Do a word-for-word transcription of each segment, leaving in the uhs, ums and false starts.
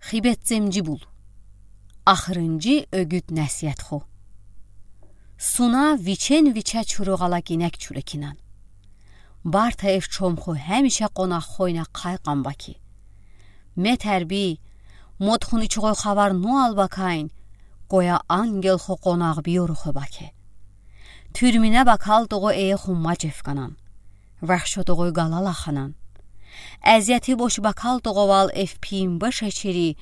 Хибетцемджи бул. Ахырынджи угуд-насихат хо. Суна вичен-виче чуругъала гинек чур экинан. Барта эф чомху гемиша къонаххойна хайкъан баки. Метерби, модхун ичугъой хавар нуал бакайн, гоя ангелхо къонахбиорухо баке. Тюрьмине бакалтугъо эйхун мажеф ганан. Вахшотугъой галала ханан. Азияти бош бакалтугъовал эф пиим баш ачири,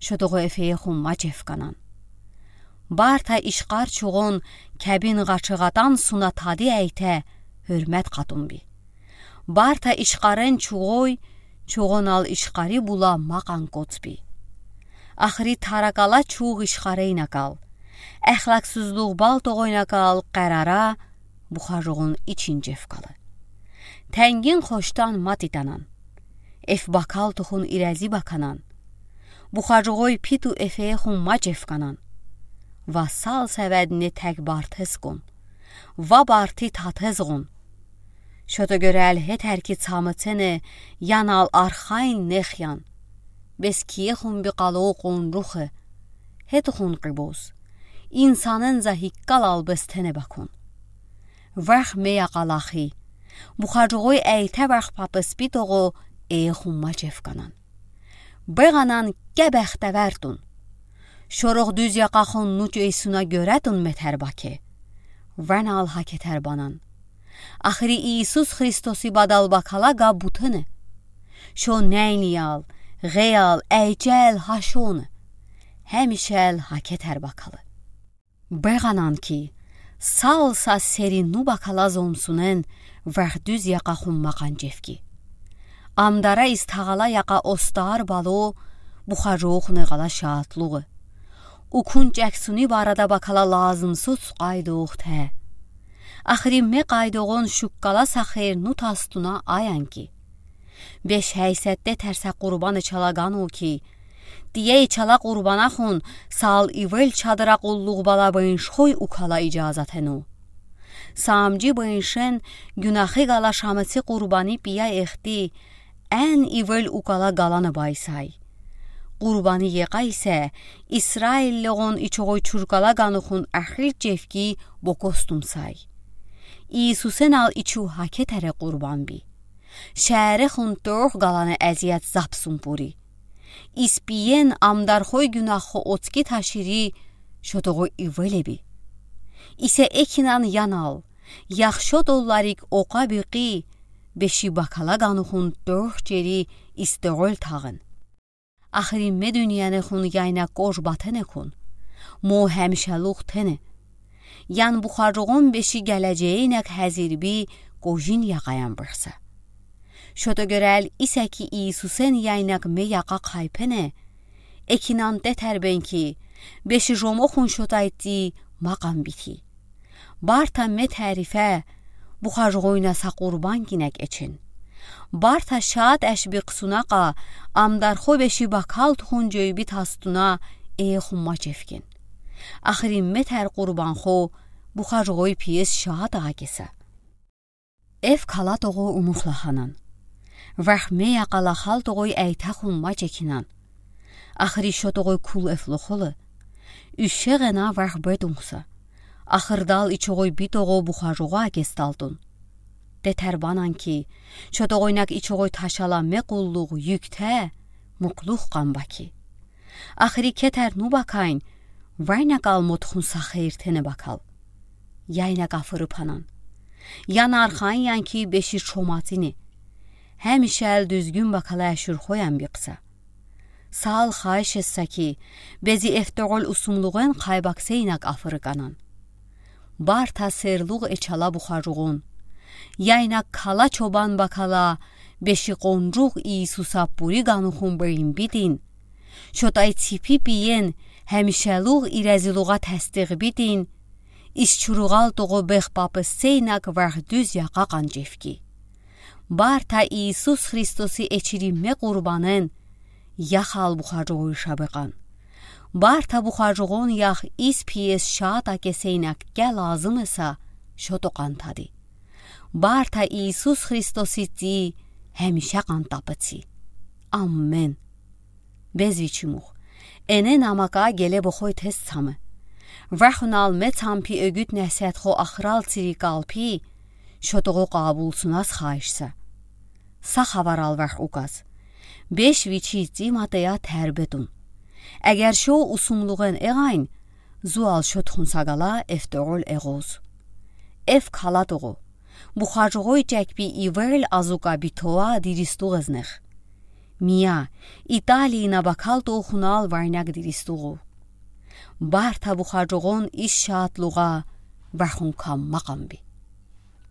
шотугъо эф эйхун мажеф ганан. Барта ишкъар чугъун кебин гъачыгъатан суна тади айта, гьюрмет къатун би. Барта ишкъарен чугъой, чугъунал ишкъари була макъан коц би. Ахри таракала чугъ ишкъарейна гал. Эхлаксузлугъ балтугъойна гал къарара, бухажугъун ичин жеф галы. Тенгин хошдан матитанан. Эф бакалтухун ирези баканан. Бухажугъой питу эф эйхун мажеф ганан. Ва сал севедни тек бартез гун. Ва барти татез гун. Шото гёрел гьетер ки цамыцене, янал архайн нехьян. Бес киехун би къалу къунрухы. Гьетухун къибуз. Инсанын за гьиккалал бес тене бакун. Вах мея къалахи. Бухажугъой айта вах папыс битугъу эйхун мажеф ганан. Бегъанан кебехте вертун. Шоругъ дуьз якъахун нуч эйсуна гёретун метер баке. Ванал гьакетер банан. Ахри Иисус Христоси бадал бакала га бутыны. Шо нейниял, гъеял, эйчел гьашоны. Гьемишел гьакетер бакалы. Бегъанан ки, сал са сери ну бакала зомсунен вах дуьз якъахун макъан жефги. Амдара из тагъала якъа остаар балу, бухажугъуни гъала шатлугъы. Укун чаксуни барада бакала лазымсуз къайдугъ те. Ахри ме къайдугъун шуккала са хер ну тастуна аян ки. Беш гьайсетте тарса къурбаны чала гану ки. Тие ичала къурбанахун сал ивел чадра къуллугъ бала быншхой укала ижазатену. Самжи быншен гюнахи гала шамыци къурбани пия эхти, эн ивел укала галаны байсай. Къурбани якъа исе, Исраиллигъун ичугъой чуркала ганухун ахил жефги бокостумсай. Иисусенал ичуг гьакетере къурбан би. Шаьрехун тохъ галаны азият запсун пури. Из пиен амдархой гюнаххо оцки ташири, шотогъо ивеле би. Исе экинан янал, яхшо долларик окъа бикъи, беши бакала ганухун тохъ чери истегъол тагъын. Ахри ме дуьньяне хун яйнак кож батене кун. Мо гьамишалугъ тене. Ян бухаржугъун беши гележейинек гьазир би кожин якъаян быхса. Шото гёрел исе ки Иисусен яйнак ме якъа къайпене. Экинан тетер бен ки, беши жомохун шотай ти макъан бити. Барта ме тарифе, бухаржугъуйна са къурбан гинек эчин. Барта шат эш би късунакъа, амдархо беши бакал тухун жойби тастуна, э, хумма чевкин. Ахри ме тар къурбанхо, бухаржугъуй пиес шат агеса. Эв калатогъо умух лаханан. Вах ме якъа лахалтогъуй айта хумма чекинан. Ахри шотогъуй кул эв лохолы. Уьшегъена вах бедунхса. Ахырдал ичогъуй битогъо бухаржугъу агесталтун. Тетер банан ки, шотогъуйнак ичогъуй ташала ме къуллугъ юкте, мукълух къанба ки. Ахри кетер ну бакайн, вайнакъал мотхун са хейир тене бакал. Яйнак афыры панан. Ян архайн ян ки беши чоматини. Гьамишал дуьзгюн бакала ашурхоян бикъса. Сал хайшесса ки, бези эфтогъол усумлугъен къайбаксейнак афыры канан. Барта серлугъ эчала бухаржугъун. Яйнак кала чобан бакала, беши къонжугъ Иисуса пури ганухун бейин битин. Шотай ципи пиен, гьамишалугъ иразилугъа тастигъ битин. Ис чуругъалтогъо бех папы сейнак вах дуьз якъа къанжефки. Барта Иисус Христоси эчири ме къурбанен, яхал бухаржугъуй шабекъан. Барта бухаржугъун ях ис пиес шата кесейнак ке лазым эса, шото къантади. Барта Иисус Христоси ти гьамиша къантапыци. Аммен. Безвичи мух. Эне намака геле бохой тез цамы. Вахунал мецампи эгют несет хо ахрал цири калпи, шотого къабулсуназ хайшса. Са хаварал вах указ. Беш вичи ци матея тербетун. Эгер шо усумлугъен эгайн, зуал шот хунсагала эфтогъол эгъоз. Эф калатогъо. Бухажогъой чекпи ивел азука битоа диристугъ эзнех. Мия, Италийна бакал толхунал варняк диристугъу. Барта бухажогъон исшатлугъа вахун кам макъамби.